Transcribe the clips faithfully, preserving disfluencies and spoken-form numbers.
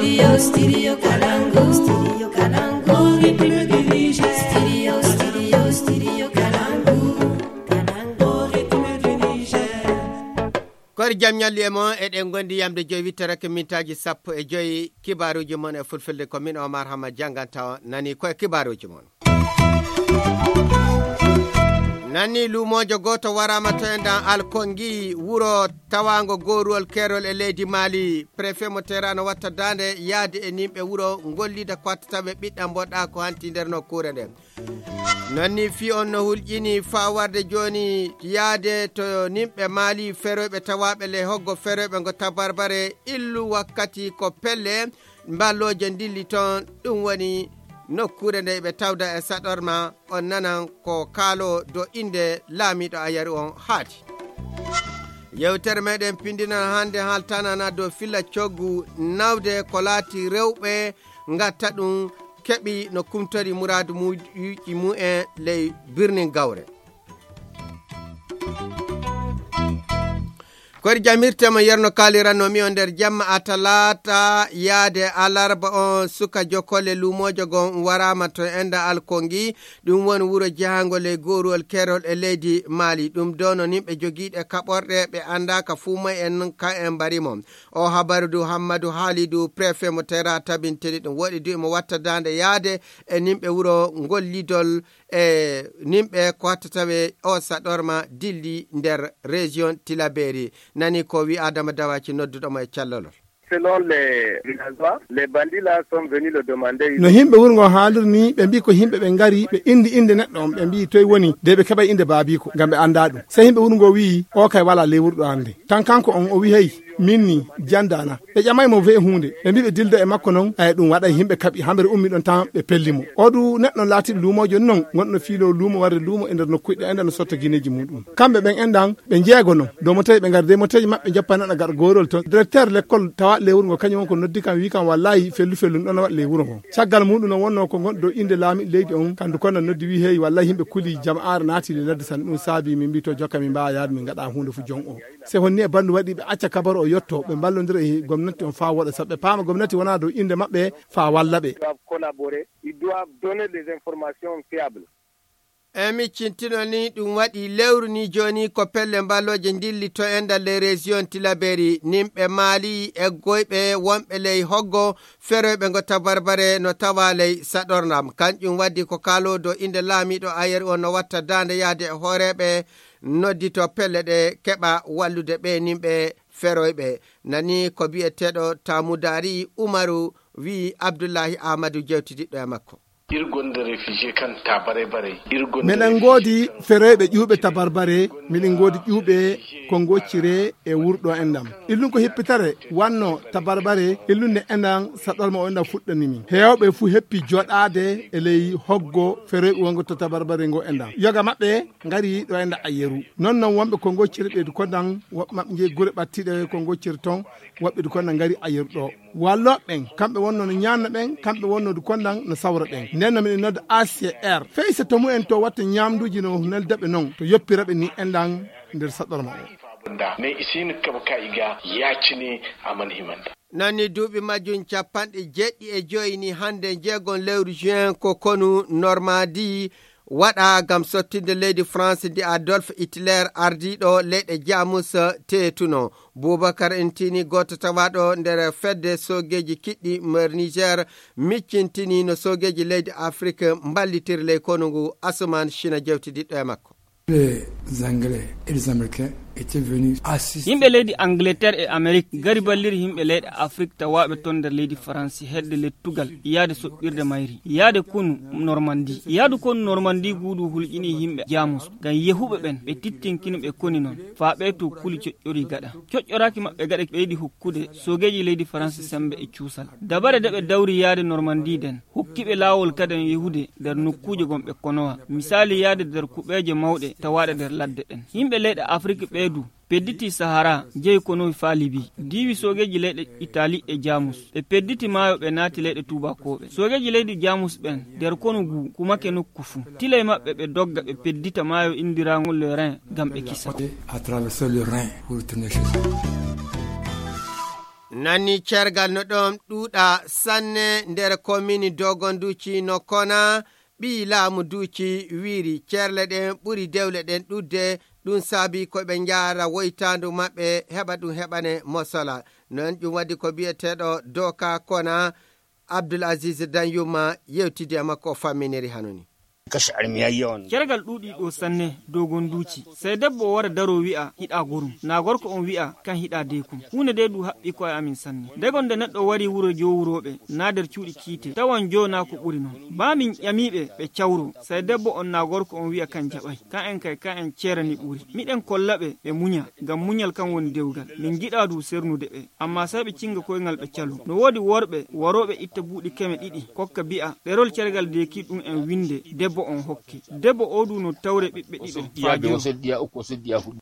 Studio, Studio Kalangu, Studio Kalangu, République du Niger. Studio, Studio, Studio Kalangu, Kalangu, République du Niger. Koori jam ñalli e mon, eɗen ngondi yamde joyi witterake mintaaji sappo e joyi. Kibaaruuji mon e fulfulde ko min Omar Hama jannganta on. Nani ko e kibaaruuji mon. Nani luumoojo gooto waraama to enɗan Alkongi, wuro tawaango gooruwol keerol e leydi Mali. Préfet mo Teera no watta daande yaade e nimɓe wuro ngollida ko watta tawe ɓiɗɗam mboɗɗa ko hanti nder nokkuure nden. Nani fii on no hulƴini faa warde jooni yaade to nimɓe Mali feroyɓe tawaaɓe ley hoggo feroyɓe ngo tabarbare illu wakkati ko pelle mballooje ndilli toon, ɗum woni nokkuure nde ɓe tawda e saɗorma, on nanan ko kaaloo do innde laamiiɗo a yari on haadi. Yewtere meɗen pindinan hannde haaltanana dow filla coggu nawde ko laati rewɓe ngatta ɗum keɓi no kumtori muraadu muyuuji mumen ley birnin gawre. Kori jamirtema yerno kaaliranno mi o nder jamma a talaata yaade alarba on suka jokkole luumoojo gon waraama to enda Alkongi. Ɗum woni wuro jehango ley gooruwol keerol e leydi Mali. Ɗum doono nimɓe jogiiɗe kaɓorɗe ɓe anndaaka fuu may en ka en mbarimo. O habaru du Hammadu Haalidu préfet mo tera tabintini ɗum woɗi du imo watta daande yaade e nimɓe wuro ngol lidol e nimɓe ko hatta tawe o saɗorma dilli nder région Tilaberi. Nani ko wi Adama Dawaci nodduɗo mo e callolol. Selon les villageois, les bandits là sont venus le demander. No himɓe wuro ngo haaliri ni ɓe mbi ko himɓe ɓe ngari ɓe indi inde neɗɗo on ɓe mbi toy woni de ɓe keɓay inde baabiko ngam ɓe annda ɗum. Sey himɓe wuro ngo wi o kay wala ley wuro ɗo hannde. Tan kanko on o wi hey min ni jandana. Ɓe ƴamay mo wee huunde ɓe mbi ɓe dilda e makko non ay ɗum waɗay himɓe kaɓi hamɓe ummi ɗon tan ɓe pelli mo. O du neɗɗo laatiɗo luumoojo non gonɗo fiilo luumo warde luumo e nder nokkuɗe enda no sotta gineeji muɗum. Kamɓe ɓen endan ɓe jeego non dow moteeji ɓe ngari de moteeji maɓɓe joppa neɗɗo gaɗa goorol ton directeur lekkol tawa ley wuro ngo kañum on ko noddi kam wi kam wallahi fellu fellu ɗon waɗa ley wuro ngo. Caggal muɗum non wonno ko gonɗo dow inde laamiɗo leydi on kandu konno noddi wi hey wallahi yimɓe kuli jama'aare naati le ladde tan ɗum saabi min mbi to jokka min mbawa yaade min ngaɗa huunde fu jon o. Se honni e bandu waɗi ɓe acca kabaru o yotto ɓe mballodira e gomnati on faa woɗa sabu ɓe paama gomnati wona dow inde maɓɓe faa walla ɓe. Doivent collaborer, ils doivent donner des informations fiables. E miccintino ni ɗum waɗi lewru ni jooni ko pelle mballooje ndilli to e ndal ley région Tilaberi nimɓe maali eggoyɓe wonɓe ley hoggo feroyɓe ngo tabarbare no tawa ley saɗornam kanƴum waddi ko kaalo dow inde laamiiɗo ayeri on no watta daande yahde e hooreeɓe noddito pelle ɗe keɓa wallude ɓe nimɓe feroyɓe. Nani ko biyeteeɗo Tamudaari Umaru wi Abdullahi Ahmadu jewtidiɗɗo e makko. Irgonde refugee kan tabare bare. Irgonde miɗen refugee ngoodi kan feroyɓe ƴuuɓe tabarbare miɗen ngoodi ƴuuɓe ko ngoccire e wurɗo enɗam illun ko hippitare wanno tabarbare illunde enɗam saɗorma o enɗam fuɗɗani min heewɓe fuu heppi joɗaade e ley hoggo feroyɓe wongo to tabarbare ngo enɗam yoga maɓɓe ngari ɗo e nda ayeru. Non non wonɓe ko ngocciri ɓeydu kondan woɓɓe maɓɓe njeyi gure ɓattiɗe ko ngocciri ton woɓɓe du kondan ngari ayeru ɗo. Walloɓe ɓen kamɓe wonno no ñaanna ɓen kamɓe wonno du kondan no sawra ɓen nden no miɗen nodda A C R fey so to mumen to watta ñaamduuji no nelda ɓe non to yoppira ɓe ni endan nder saɗorma o. Mais isin kaba ka iga yacini aman himanda. Nanni duuɓi majjum capanɗe jeɗɗi e joyi ni hannde njeegon lewru juin ko konu Normandie waɗa ngam sottinde leydi France ndi Adolf Hitler ardiiɗo leyɗe Jamus teetuno. Bubakar Intini gooto tawaaɗo nder fedde soogeeji kiɗɗi nder Niger miccintini no soogeeji leydi Afrik mballitiri ley konu ngu Asuman Shina jewtidiɗɗo e makko. Les Anglais et les Américains étaient venus assister. Yimɓe leydi Angleterre e Amérique ngari balliri yimɓe leyɗe Afrique tawaaɓe toon nder leydi Faransi hedde lettugal yaade soɓɓirde mayri yaade konu Normandie. Yaadu konu Normandie ngu du hulƴini yimɓe Jamus ngam yehuɓe ɓen ɓe tittinkino ɓe koni noon faa ɓee to kuli coƴƴori gaɗa. Coƴƴoraaki maɓɓe gaɗa ɓeydi hokkude soogeeji leydi Faransi semmbe e cuusal. Dabare de ɓe dawri yaade Normandie nden. Hokki ɓe laawol kaden yehude nder nokkuuje gom ɓe konowa, misaali yahde nder kuɓeeje mawɗe tawaaɗe nder ladde ɗen. Yimɓe leyɗe Afrik ɓee du pedditii Sahara, njehi konowi faa Libi, diiwi soogeeji leyɗe Itali e Jaamus. Ɓe pedditi maayo ɓe naati leyɗe tuubakooɓe. Soogeeji leydi Jaamus ɓen nder konu ngu kumake nokku fuu. Tilay maɓɓe ɓe dogga ɓe peddita maayo inndiraaŋgo le Rhin ngam ɓe kisa. À traverser le Rhin pour retourner chez eux. Nani cergal no ɗon ɗuuɗa sanne nder komini Dogon Duci no kona ɓii laamu Duci wiiri cerle ɗen ɓuri dewle ɗen ɗuuɗde, ɗum saabi ko ɓe njaara woytaandu maɓɓe heɓa ɗum heɓane mosola. Non ɗum waɗi ko biyeteeɗo Doka Kona, Abdul Aziz Danyuma yewtidi e makko o famminiri hanoni. Kashi armi yayyawan. Cergal ɗuuɗi ɗo sanne dogon duuci. Sey debbo o wara daro wi'a hiɗa gorum. Na gorko on wi'a kan hiɗa deekum. Huunde de du haɓɓi ko'e amin sanne. Degon de neɗɗo wari wuro jowurooɓe, na nder cuuɗi kiite. Tawan jo na ko ɓuri non. Ba min ƴamiiɓe ɓe cawro. Sey debbo on na gorko on wi'a kan jaɓay. Ka'en kay ka'en ceerani ɓuri. Miɗen kolla ɓe ɓe munya. Ngam munyal kan woni dewgal. Min giɗa du sernude ɓe. Amma sey ɓe cinga koyngal ɓe calo. No woodi worɓe warooɓe itta buuɗi keme ɗiɗi. Kokka bi'a, ɗerol cergal deeki ɗum en winde, debbo on hokke. Debbo o du no tawre ɓiɓɓe ɗiɗo. Faa joyo.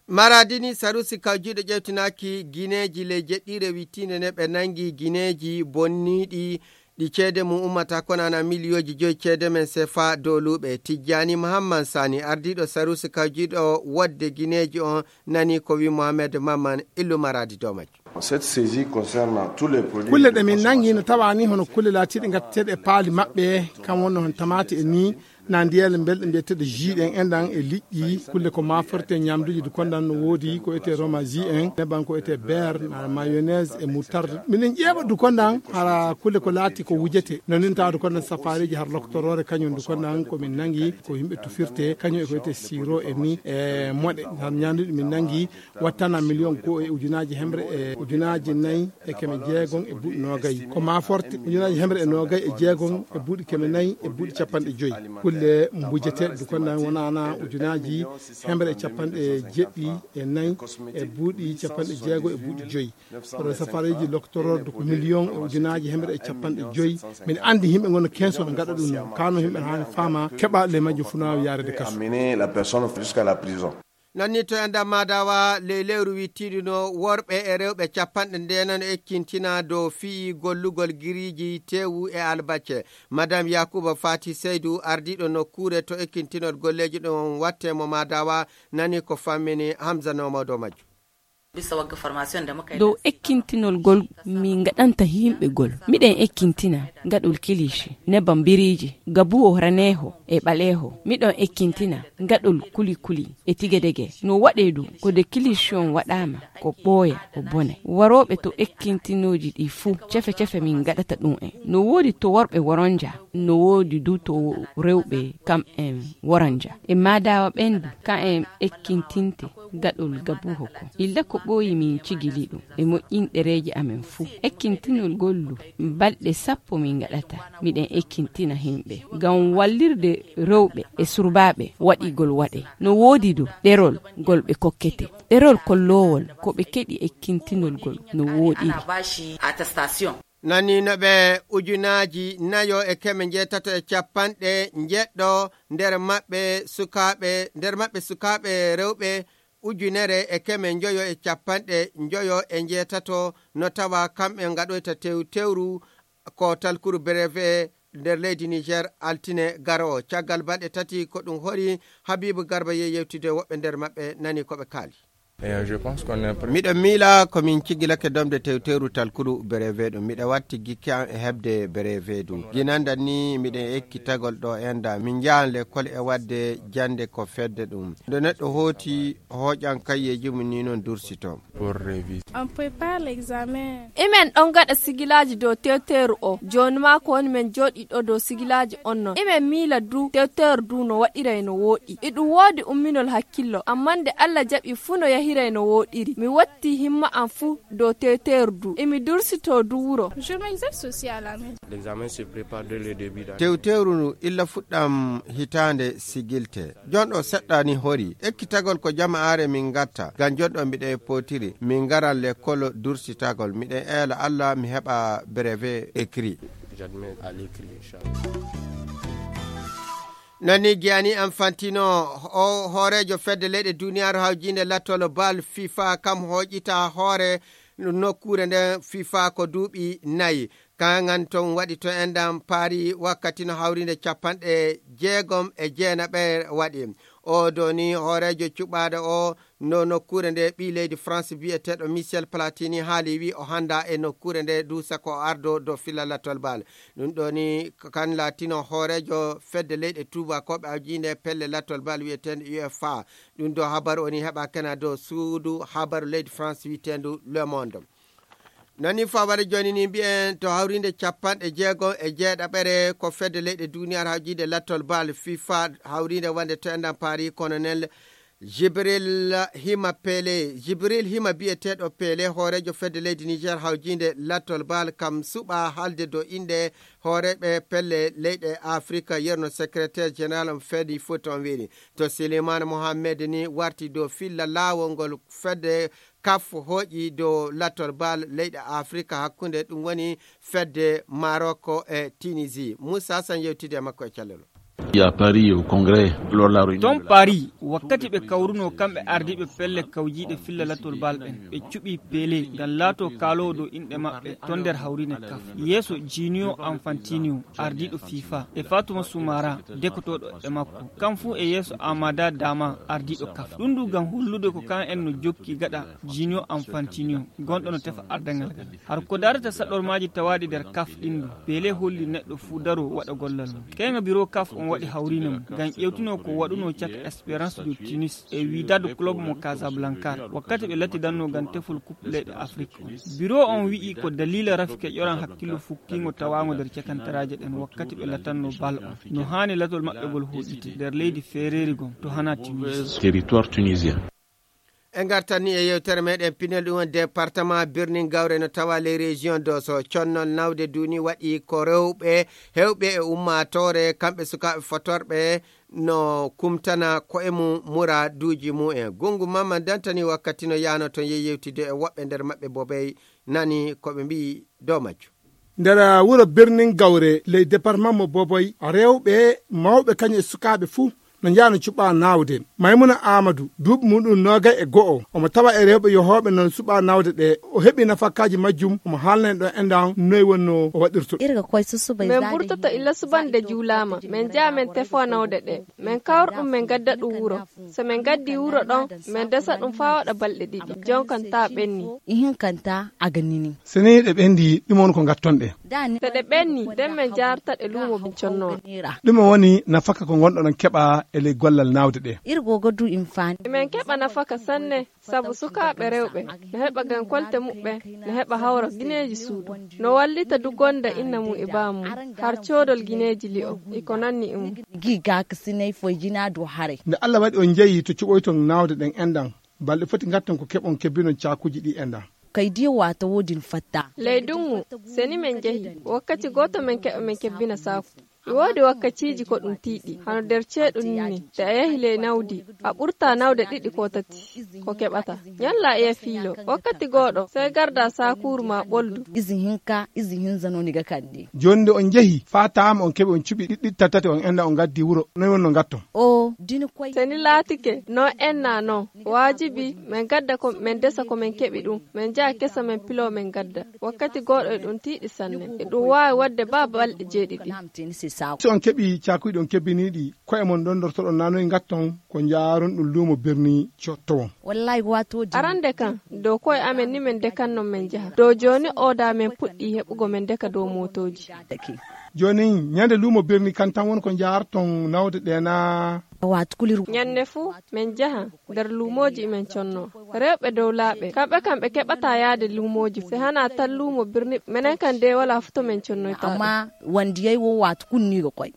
Maradini Sarusi kawjiiɗo ƴewtinaaki gineeji ley jeɗɗiire wittiinde ne ɓe nangi gineeji bonniiɗi ɗi ceede mum ummata konana miliyooji joyi ceede men sefa dowluɓe. Tijjani Muhammad Sani, ardiiɗo Sarusi kawjiiɗo wodde gineeji on, nani ko wi Mohamed Mamman Illu Maradi dow majjum. Cette saisie concerne tous les produits. Kulle ɗe min nangi no tawa ni hono kulle laatiiɗe ngatteteeɗe e paali maɓɓe, kam wonno hon tamaate e ni, na ndiyele belɗe mbiyeteeɗe jus ɗen enɗan e liƴƴi, kulle ko maforte ñamduuji du kondan no woodi ko etee romaji en, neban ko etee beer, na mayonnaise e moutarde. Minen ƴeeɓa du kondan hara kulle ko laati ko wujete. No nin tawa du kondan safareeji har loktoroore kañum du kondan ko min nangi ko yimɓe tufirte, kañum e ko etee siro e ni e moɗe. Har ñamduuji min nangi wattana miliyon goo e ujunaaji hemre e ujunaaji nayi e keme jeegon e buuɗi noogay. Ko maforte ujunaaji hemre e noogay e jeegon e buuɗi keme nayi e buuɗi capanɗe joyi. Kulle mbujeteeɗe du kondan wonana ujunaaji hemre e capanɗe jeɗɗi e nayi e buuɗi capanɗe jeego e buuɗi joyi. Kono safareeji loktoroorde ko miliyon e ujunaaji hemre e capanɗe joyi. Min anndi yimɓe ngonno kenso no ngaɗa ɗum noon. Kano yimɓe haani faama keɓa le majjo funa yaarede kaso. Amener la personne jusqu'à la prison. Nanni to e nder Madawa ley lewru wittiiɗu no worɓe e rewɓe capanɗe ndeenano ekkintina dow fii gollugol giriiji tewu e albacce. Madame Yakuba Fati Seydu, ardiiɗo nokkuure to ekkintinol golleeji ɗon watte mo Madawa, nani ko fammini Hamza Nomo dow majjum. Bisa wagga formation da muka yi. Dow ekkintinol gol min ngaɗanta yimɓe gol. Miɗen ekkintina ngaɗol kilishi, nebam biriiji, gabuwo raneeho e ɓaleeho. Miɗon ekkintina ngaɗol kuli-kuli e tigedege. No waɗee du ko de kilishi on waɗaama ko ɓooya o bonay. Warooɓe to ekkintinooji ɗi fuu, cefe-cefe min ngaɗata ɗum en. No woodi to worɓe woronja, no woodi du to rewɓe kam en woronja. E maadawa ɓen du, ka en ekkintinte gaɗol gabuho ko. Illa ko ɓooyi min cigili ɗum e moƴƴin ɗereeji amen fuu. Ekkintinol gollu balɗe sappo min ngaɗata. Miɗen ekkintina himɓe ngam wallirde rewɓe e surbaaɓe waɗigol waɗe. No woodi du ɗerol ngol ɓe kokkete. Ɗerol kolloowol ko ɓe keɗi ekkintinol gol no wooɗiri. Nani no ɓe ujunaaji nayo e keme njeetato e capanɗe njeɗɗo nder maɓɓe sukaaɓe, nder maɓɓe sukaaɓe rewɓe ujunere e keme njoyo e capanɗe njoyo e njeetato no tawa kamɓe ngaɗoyta tew-, tewru ko talkuru breve nder leydi Niger altine garowo. Caggal balɗe tati ko ɗum hori Habibu Garba ye yewtude woɓɓe nder maɓɓe nani ko ɓe kaali. Eh, je pense qu'on est prêt. Miɗo miila ko min cigilake domde tewteru talkuru breve ɗum. Miɗo watti gikki am e heɓde breve du. Ginanda ni miɗen ekkitagol ɗo enda. Min njahan lekkol e wadde jande ko fedde ɗum. Nde neɗɗo hooti hooƴan kayyeeji mum ni non dursito. Pour réviser. On prépare l'examen. Imen ɗon gaɗa sigilaaji dow tewteeru o. Jooni maa ko woni men jooɗii ɗo dow sigilaaji on non. Imen miila du tewteeru du no waɗiray no wooɗi. Iɗum woodi umminol hakkillo, ammaa nde Alla jaɓi fuu no yahiray no wooɗiri. Mi wottii himma am fuu dow tewteeru du. Imi dursitoo du wuro. Je m'exerce aussi à la maison. L'examen se prépare dès le début d'année. Tewteeru ndu illa fuɗɗam hitaande sigilte. Jonɗo seɗɗa ni hori. Ekkitagol ko jama'aare min ngatta. Ngam jonɗo mbiɗa e potiri. Min ngaran lekkol dursitagol. Miɗen eela Alla mi heɓa brevet écrit. J'admets à l'écrit, inchallah. Nani Gianni Infantino, o hooreejo fedde leyɗe duniyaaru hawjiinde lattol bal fifa, kam hooƴita hoore nokkuure nden fifa ko duuɓi nayi. Kangan ton waɗi to enɗan Paris wakkati no hawrinde capanɗe jeegom e jeenaɓe waɗi. O doni hooreejo cuɓaaɗo o no nokkuure nde ɓii leydi France biyeteeɗo Michel Platini haali wi o hannda e nokkuure nde duusa ko ardo do filla lattol bal. Ɗum ɗoni kan laatino hooreejo fedde leyɗe tuubakooɓe awjiinde pelle lattol bal wiyeteende U F A. Ɗum do habaru oni heɓa kena do suudu habaru leydi France wiyeteendu Le Monde. Nani faware joni ni mbiyen to hawrinde capanɗe jeego e jeeɗaɓere ko fedde leyɗe duniyar hawjide lattol bal fifa hawrinde wonde to enɗan paari colonel Jibril Hima Pele. Jibril Hima biyeteeɗo Pele hooreejo fedde leydi Niger hawjinde lattol bal kam suɓa halde do inde hooreɓe pelle leyɗe Afrika yerno secrétaire général on fedi foot on wiri to Suleiman Mohammed ni warti do filla laawol ngol fedde kaf hooƴi dow lattol bal leyɗe Afrika hakkunde ɗum woni fedde Maroko e Tunisie. Moussa Hassan yewtidi e makko e cellelo. Il y a Paris au Congrès, lors la réunion Ton de la Paris, wakkati ɓe kawruno kamɓe ardiiɓe pelle kawjiiɗe filla lattol bal ɓen, ɓe cuɓi Pele ngam laato kaaloowo dow inɗe maɓɓe ton nder hawriinde kaf. Yeeso Ginio Anfantinio, ardiiɗo fifa, e Fatuma Sumara, dekotooɗo e makko. Kam fuu e yeeso Amada Dama, ardiiɗo kaf. Ɗum du ngam hollude ko kan en no jokki gaɗa Ginio Anfantinio, gonɗo no tefa ardangal ngal. Har ko darata saɗormaaji tawaaɗi nder kaf ɗin du, Pele holli neɗɗo fuu daro waɗa gollal mum. Kayga biro kaf on waɗi hawriinde mum, ngam ƴewtuno ko waɗuno caka Espérance de Tunis e Wydad Club mo Casablanca, wakkati ɓe lattidanno ngam tefol Coupe leyɗe Afrique on. Biro on wi'i ko daliila rafi keƴoran hakkillo fukkiingo tawaago nder cakantaraaje ɗen wakkati ɓe latanno bal on. No haani latol maɓɓe ngol hoɗite nder leydi feereeri gon to hana Tunis. Territoire tunisien. En ngartan ni e yewtere meɗen pinel ɗum woni département Birnin Gawre no tawa les régions do so connol nawde duni waɗi ko rewɓe hewɓe e ummatore kamɓe sukaaɓe fotorɓe no kumtana ko e mum muraduuji mum en. Gungu Mamman Dantani wakkati no yaano toon yehi yewtide e woɓɓe nder maɓɓe bobey nani ko ɓe mbiyi dow majjum. Nder wuro Birnin Gawre ley departement mo Boboy, rewɓe mawɓe kañum e sukaaɓe fuu no njaano cuɓa nawde. Maymuna Aamadu, duuɓi muɗum noogay e go'o, omo tawa e rewɓe yohooɓe non suɓa nawde ɗe. O heɓi nafakaaji majjum, omo haalna en ɗo enɗan noy wonno o waɗirto. Irga koy susubay Min zaade burtoto illa subande juulaama, min njaha min tefoo nawde ɗe. Min kawra ɗum, min ngadda ɗum wuro. So min ngaddii wuro ɗon, min ndesa ɗum faa waɗa balɗe ɗiɗi. Jonkan taa ɓenni. Ihinkanta a ga nini. So nii ɗe ɓenndii, ɗum woni ko ngatton ɗe. Dani. So ɗe ɓenni, nden min njaarta ɗe luumo min connoo. Ɗum woni nafaka ko ngonɗon keɓa e ley gollal nawde ɗe. Irgo godu infani. Min keɓa nafaka sanne, sabu sukaaɓe rewɓe no heɓa ngam kolte muɓɓen, no heɓa hawra gineeji suudu. No wallita du gonda inna mum e baamum, har coodol gineeji li'o, e ko nanni e mum. Gi gak sinay foy jina do hare. Nde Allah waɗi on njeyi to cuɓoyton nawde ɗen enɗan, balɗe foti ngatton ko keɓon kebbinon caakuuji ɗi enɗan. Kay di wata wodin fatta. Ley dungu, seni min njehi, wakkati gooto min keɓa min kebbina saaku. E woodi wakkatiiji ko ɗum tiiɗi, hano nder ceeɗu nii, nde a yahi ley nawdi, a ɓurta nawde ɗiɗi ko tati, ko keɓata. Ñalla iya fiilo, wakkati gooɗo, sey garda saakuuru ma ɓoldu. Izi hinka, izi hinza no niga kandi. Jooni nde on njehi, faa taama on keɓi on cuɓi ɗiɗi tati tati on enɗan on ngaddi wuro, noy wonno ngatton? O, dini koy. Seni laatike, no enna non, waajibi, min gadda ko, min ndesa ko min keɓi ɗum, min njaha kesa min piloo min gadda. Wakkati gooɗo e ɗum tiiɗi sanne. E ɗum waawi waɗde baa balɗe jeeɗiɗi. Si on keɓii caakuuji ɗon kebbiniiɗi, ko'e mon ɗonɗortoɗon naa noy ngatton ko njaaron ɗum luumo birni cottowon. Wallahi wato di. Arande kan, dow ko'e amen ni min ndekan non min njaha. Dow jooni oo da min puɗɗii heɓugo min ndeka dow mootooji. Jooni ñande luumo birni kan tan woni ko njaarton nawde ɗe naa? Wato kulir. Ñande fuu min njaha nder luumooji imen conno. Rewɓe dow laaɓe, kamɓe kam ɓe keɓataa yaade luumooji, se hanaa tan luumo birni, menen kam dey walaa fuu to min connoytaa ɗum. Amma wandiyay wo wato kunniigo koy.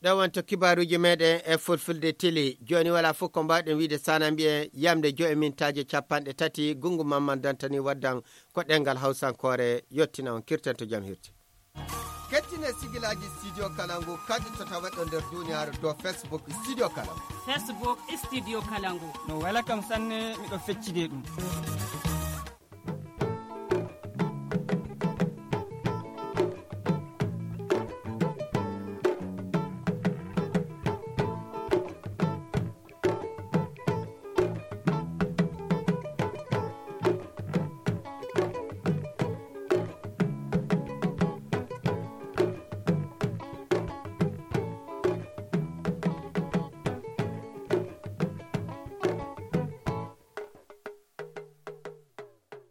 Ɗo wonto kibaaruuji meɗen e fulfulde tili. Jooni walaa fuu ko mbaawɗen wiide sana mbiyen yamde joy mintaaji capanɗe tati, gungu Mamman Dantani waddan ko ɗengal Hawsankoore, yottina on, kirten to jam hirti. Kettine sigilaaji Studio Kalangu, kadi to tawatɗo nder duniyaaru dow Facebook Studio Kalangu. Facebook Studio Kalangu. No wela kam sanne, miɗo feccide ɗum.